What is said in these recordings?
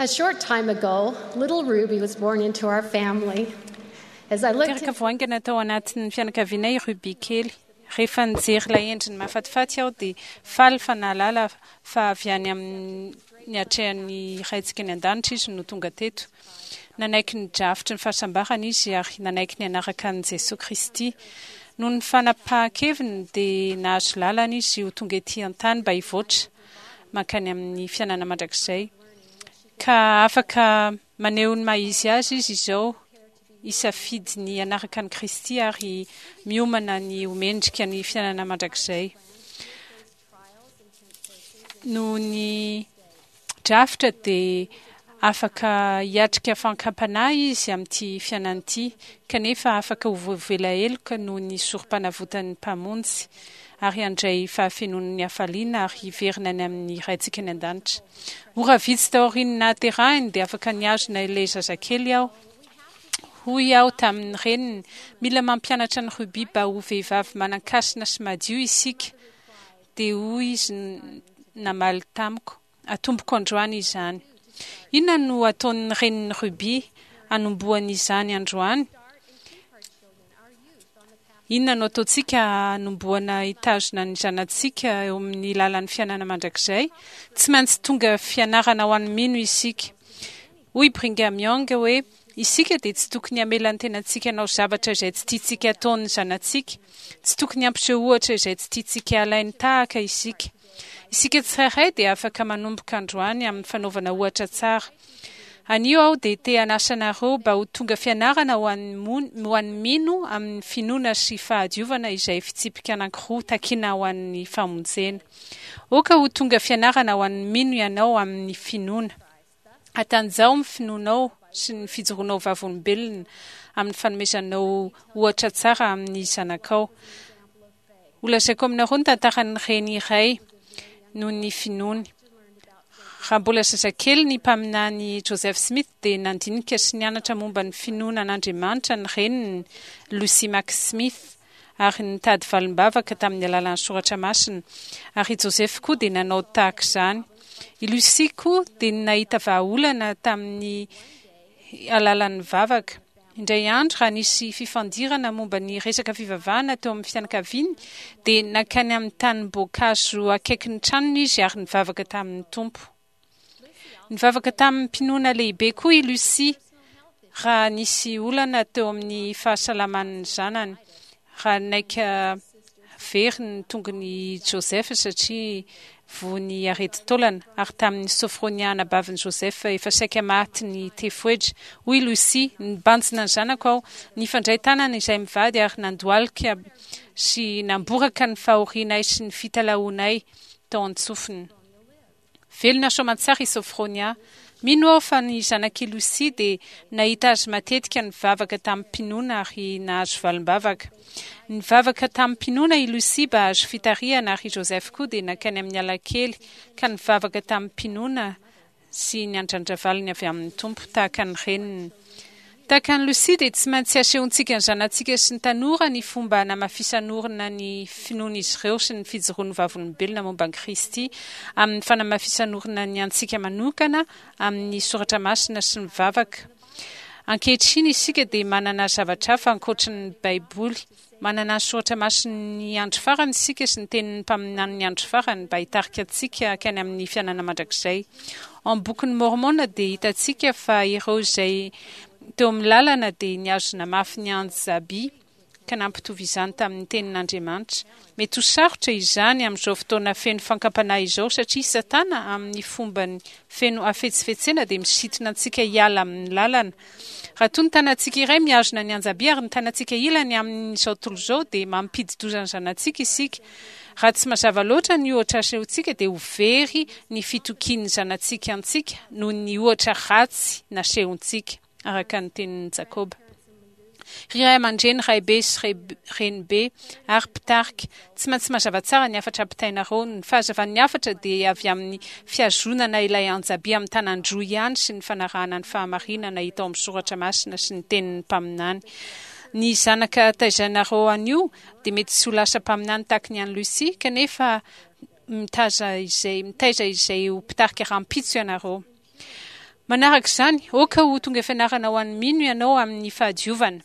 A short time ago, little Ruby was born into our family. As I looked Teraka vao haingana tao anatin'ny fianakavianay i Ruby kely. Rehefa nijery ilay endriny mahafatifaty aho dia faly fa nahalala fa avy any amin'ny atrehan'ny Raintsika any An-danitra izy no tonga teto. Nanaiky ny drafitry ny fahasambarana izy ary nanaiky ny hanaraka an'i Jesoa Kristy. Noho ny fanapahan-keviny dia nahazo lalana izy ho tonga ety an-tany mba hivoatra mankany amin'ny fiainana mandrakizay. Ka afaka maneho ny maha izy azy izy izao, hisafidy ny hanaraka an'i Kristy ary miomana ny ho mendrika ny fiainana mandrakizay. Noho ny drafitra dia afaka hiatrika fankam-panahy izy amin'ity fiainana ity, kanefa afaka ho voavela heloka noho ny sorom-panavotan'ny Mpamonjy, ary handray fahafenoan'ny hafaliana ary hiverina any amin'ny Raintsika any An-danitra. Ora vitsy taorian'ny nahaterahiny dia afaka nihazona ilay zazakely aho. Hoy aho tamin'ny reniny, Mila mampianatra an'i Ruby mba ho vehivavy manan-kasina sy madio isika. Dia hoy izy namaly tamiko, Atomboko androany izany. Inona no ataon'ny renin'i Ruby hanombohany izany androany? Inona no ataontsika hanombohana hitazona ny zanatsika eo amin'ny lalan'ny fiainana mandrakizay? Tsy maintsy tonga fianarana ho an'ny mino isika. Hoy Brigham Young hoe, Isika dia tsy tokony hamela ny tenantsika hanao zavatra izay tsy tiantsika hataon'ny zanatsika. Tsy tokony hampiseho ohatra izay tsy tiantsika halainy tahaka isika. Isika tsirairay dia afaka manomboka androany amin'ny fanaovana ohatra tsara. Anio aho dia te hanasa anareo mba ho tonga fianarana ho an'ny ho an'ny mino amin'ny finoana sy fahadiovana izay fitsipika anankiroa takina ho an'ny famonjena. Aoka ho tonga fianarana ho an'ny mino ianao amin'ny finoana. Hatanjaho ny finoanao sy ny fijoroanao vavolombelona amin'ny fanomezanao ohatra tsara amin'ny zanakao. Holazaiko aminareo ny tantaran'ny reny iray noho ny finoany. Raha mbola zazakely ny mpaminany Joseph Smith dia nandinika sy nianatra momba ny finoana an'Andriamanitra ny reniny, Lucy Mack Smith, ary nitady valim-bavaka tamin'ny alalan'ny soratra masina, ary i Joseph koa dia nanao tahaka izany. I Lucy koa dia nahita vahaolana tamin'ny alalan'ny vavaka. Indray andro, raha nisy fifandirana momba ny resaka fivavahana teo amin'ny fianakaviany, dia nankany amin'ny tanim-boankazo akaikin'ny tranony izy ary nivavaka tamin'ny Tompo. Nivavaka tamim-pinoana lehibe koa i Lucy raha nisy olana teo amin'ny fahasalaman'ny zanany, raha naika very ny tongon'i Joseph satria voan'ny aretin-taolana, ary tamin'i Sophronia anabavin'i Joseph efa saika maty ny tefoedra. Hoy i Lucy, Nibanjina ny zanako aho, nifandray tanana izahay mivady ary nandohalika sy namboraka ny fahorianay sy ny fitalahoanay tao an-tsofiny. Velona soamantsara i Sophronia. Mino aho fa ny zanak'i Lucy dia nahita azy matetika nivavaka tamim-pinoana ary nahazo valim-bavaka. Nivavaka tamim-pinoana i Lucy mba hahazo fitarihana ary i Joseph koa dia nankany amin'ny alakely ka nivavaka tamim-pinoana sy niandrandra valiny avy amin'ny Tompo, tahaka ny reniny. Tahaka an'i Lucy dia tsy maintsy asehontsika ny zanatsika sy ny tanora ny fomba hanamafisan'orina ny finoan'izy ireo sy ny fijoroany vavolombelona momba an'i Kristy amin'ny fanamafisan'orina ny antsika manokana amin'ny soratra masina sy ny vavaka. Ankehitriny isika dia manana zavatra hafa ankoatry ny Baiboly. Manana ny soratra masin'ny andro farany isika sy ny tenin'ny mpaminanin'ny andro farany mba hitarika antsika hankany amin'ny fiainana mandrakizay. Ao amin'ny Bokin'i Môrmôna dia hitantsika fa ireo izay teo amin'ny lalana dia nihazona mafy ny anjaby ka nampitovy izany tamin'ny tenin'Andriamanitra. Mety ho sarotra izany amin'izao fotoana feno fankam-panahy izao satria i Satana amin'ny fombany feno hafetsifetsena dia misintona antsika hiala amin'ny lalana. Raha toa ny tanantsika iray mihazona ny anjaby ary ny tanantsika ilany amin'izao tontolo izao dia mampidi-doza ny zanatsika isika. Raha tsy mazava loatra ny ohatra asehontsika dia ho very ny fitokian'ny zanatsika antsika noho ny ohatra ratsy nasehontsika, araka ny tenin'i Jakoba. Ry ray aman-dreny, raibe sy renibe ary mpitarika, tsy maintsy mazava tsara ny hafatra ampitainareo. Ny fahazavan'ny hafatra dia avy amin'ny fihazonana ilay anjaby amin'ny tanan-droa ihany sy ny fanarahana ny fahamarinana hita ao amin'ny soratra masina sy ny tenin'ny mpaminany. Ny zanaka taizainareo anio dia mety tsy ho lasa mpaminany tahaka ny an'i Lucy, kanefa mitaiza izay mitaiza izay ho mpitarika rahampitso ianareo. Manaraka izany, aoka ho tonga fianarana ho an'ny mino ianao amin'ny fahadiovana.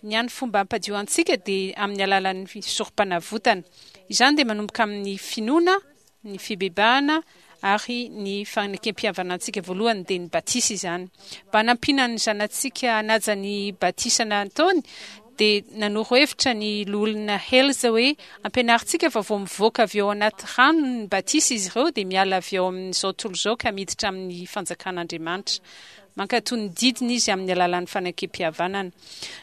Ny hany fomba hampadio antsika dia amin'ny alalan'ny sorompanavotana. Izany dia manomboka amin'ny finoana, ny fibebahana ary ny fanekem-pihavanantsika voalohany dia ny batisa izany. Mba hanampiana ny zanatsika hanaja ny batisa nataony dia nanoro hevitra ny Loholona Hales hoe ampianarintsika fa vao mivoaka avy ao anaty rano ny batisa izy ireo dia miala avy ao amin'izao tontolo izao ka miditra amin'ny fanjakan'Andriamanitra. Mankatò ny didiny izy amin'ny alalan'ny fanekem-pihavanana.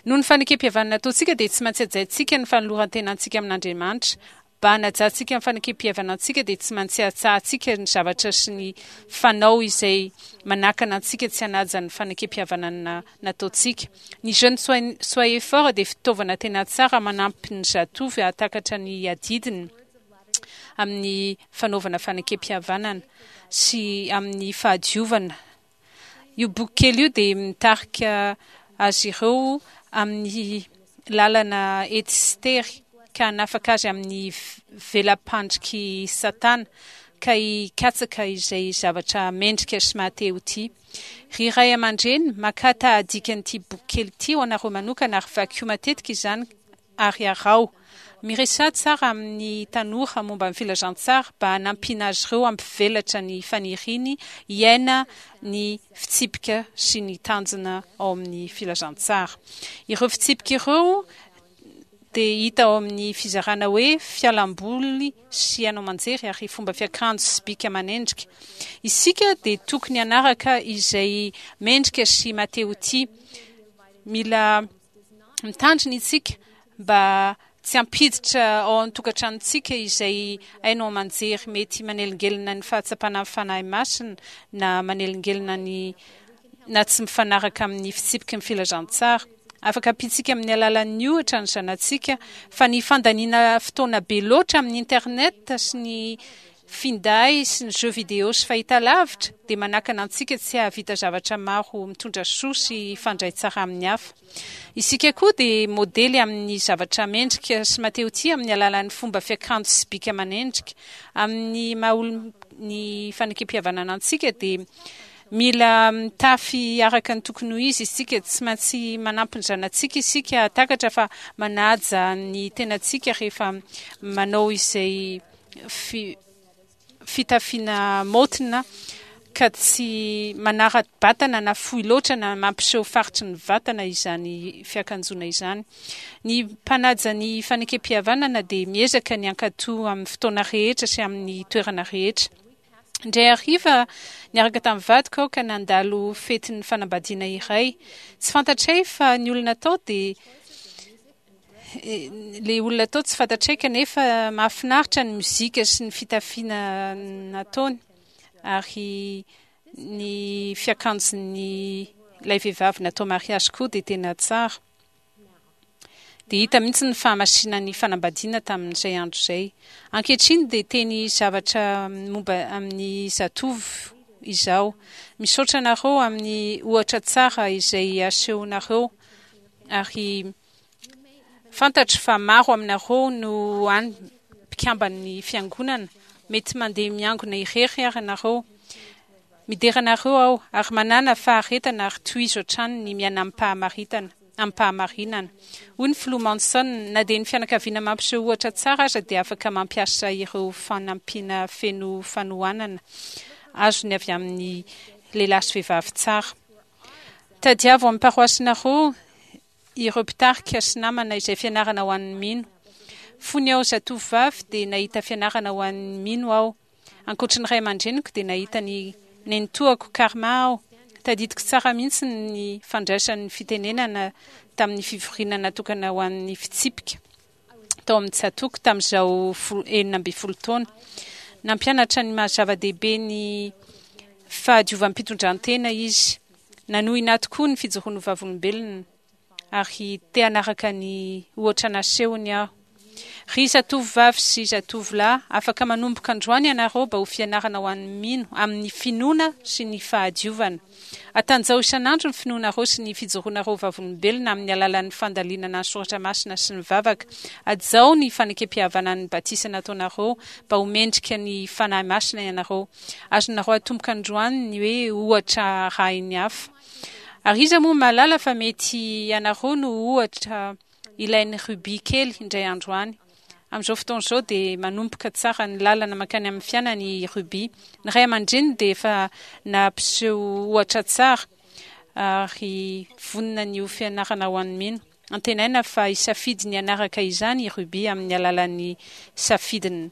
Noho ny fanekem-pihavanana ataontsika dia tsy maintsy hajaintsika ny fanoloran-tenantsika amin'Andriamanitra. Mba hanajantsika ny fanekem-pihavanantsika dia tsy maintsy hatsahantsika ny zavatra sy ny fanao izay manakana antsika tsy hanaja ny fanekem-pihavanana nataontsika. Ny Jeunes Soyez Forts dia fitaovana tena tsara manampy ny zatovo hahatakatra ny adidiny amin'ny fanaovana fanekem-pihavanana sy amin'ny fahadiovana. Io boky kely io dia mitarika azy ireo amin'ny lalana ety sy tery ka hanafaka azy amin'ny vela-pandrik'i Satana ka hikatsaka izay zavatra mendrika sy maha-te ho tia. Ry ray aman-dreny, makà tahadikan'ity boky kely ity ho anareo manokana ary vakio matetika izany ary araho. Miresaha tsara amin'ny tanora momba ny filazantsara mba hanampiana azy ireo hampivelatra ny faniriany hiaina ny fitsipika sy ny tanjona ao amin'ny filazantsara. Ireo fitsipika ireo dia hita ao amin'ny fizarana hoe Fialamboly sy haino aman-jery ary fomba fiakanjo sy bika aman'endrika. Isika dia tokony hanaraka izay mendrika sy maha-te-ho tia. Mila Mitandrina isika mba tsy hampiditra ao an-tokantranontsika izay haino aman-jery mety manelingelina ny fahatsapana ny Fanahy Masina na manelingelina ny na tsy mifanaraka amin'ny fitsipiky ny filazantsara. Afaka ampiantsika amin'ny alalan'ny ohatra ny zanatsika fa ny fandaniana fotoana be loatra amin'ny internet sy ny finday sy ny jeux vidéo sy fahitalavitra dia manakana antsika tsy hahavita zavatra maro mitondra soa sy hifandray tsara amin'ny hafa. Isika koa dia modely amin'ny zavatra mendrika sy mateotia amin'ny alalan'ny fomba fiakanjo sy bika aman'endrika. Amin'ny maha olon'ny fanekempihavanana antsika dia mila mitafy araka ny tokony ho izy isika. Tsy maintsy manampy ny zanatsika isika hahatakatra fa manaja ny tenantsika rehefa manao izay fitafiana maotina ka tsy manara-batana na fohy loatra na mampiseho faritry ny vatana izany fiakanjoana izany. Ny mpanaja ny fanekem-pihavanana dia miezaka ny hankatò amin'ny fotoana rehetra sy amin'ny toerana rehetra. Indray hariva, niaraka tamin'ny vadiko aho ka nandalo fetin'ny fanambadiana iray. Tsy fantatray fa ny olona tao dia Ilay olona tao tsy fantatray kanefa mahafinaritra ny mozika sy ny fitafiana nataony ary ny fiakanjon'ny ilay vehivavy natao mariazy koa dia tena tsara. Dia hita mihitsy ny fahamasinan'ny fanambadiana tamin'izay andro izay. Ankehitriny dia teny zavatra momba amin'ny zatovo izaho. Misaotra anareo amin'ny ohatra tsara izay asehonareo ary Fantatro fa maro aminareo no any mpikamban'ny Fiangonana, mety mandeha miangona irery ary ianareo. Midera anareo aho, ary manàna faharetana ary tohizo hatrany ny miaina amim-pahamaritana, amim-pahamarinana. Hoy ny Filoha Monson, Na dia ny fianakaviana mampiseho ohatra tsara aza dia afaka mampiasa ireo fanampiana feno fanohanana azony avy amin'ny lehilahy sy vehivavy tsara. Tadiavo amin'ny paroasinareo ireo mpitarika sy namana izay fianarana ho an'ny mino. Fony aho zatovovavy dia nahita fianarana ho an'ny mino aho. Ankoatry ny ray aman-dreniko dia nahita ny nenitoako Karma aho. Tadidiko tsara mihitsy ny fandraisany fitenenana tamin'ny fivoriana natokana ho an'ny fitsipika tao amin'ny tsatòko tamin'izaho 16 taona. Nampianatra ny maha zava-dehibe ny fahadiovam-pitondran-tena izy. Nanohina ahy tokoa ny fijoroany ho vavolombelona, ary te hanaraka ny ohatra nasehony aho. Ry zatovovavy sy zatovolahy, afaka manomboka androany ianareo mba ho fianarana ho an'ny mino amin'ny finoana sy ny fahadiovana. Atanjaho isan'andro ny finoanareo sy ny fijoroanareo vavolombelona amin'ny alalan'ny fandalinana ny soratra masina sy ny vavaka. Hajao ny fanekempihavanan'ny batisa nataonareo mba ho mendrika ny Fanahy Masina ianareo. Azonareo atomboka androany ny hoe ohatra arahin'ny hafa. Ary iza moa mahalala fa mety ianareo no ohatra ilain'i Ruby kely indray andro any. Amin'izao fotoana izao dia manomboka tsara ny lalana mankany amin'ny fiainany i Ruby. Ny ray aman-dreniny dia efa nampiseho ohatra tsara ary vonona ny ho fianarana ho an'ny mino. Antenaina fa hisafidy ny hanaraka izany i Ruby amin'ny alalan'ny safidiny.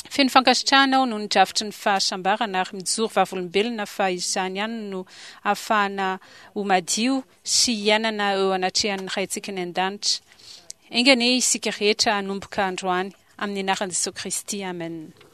Feno fankasitrahana aho noho ny drafitry ny fahasambarana ary mijoro vavolombelona fa izany ihany no ahafahana ho madio sy hiainana eo anatrehan'ny Raintsika any An-danitra. Enga anie isika rehetra hanomboka androany, amin'ny anaran'i Jesoa Kristy, amen.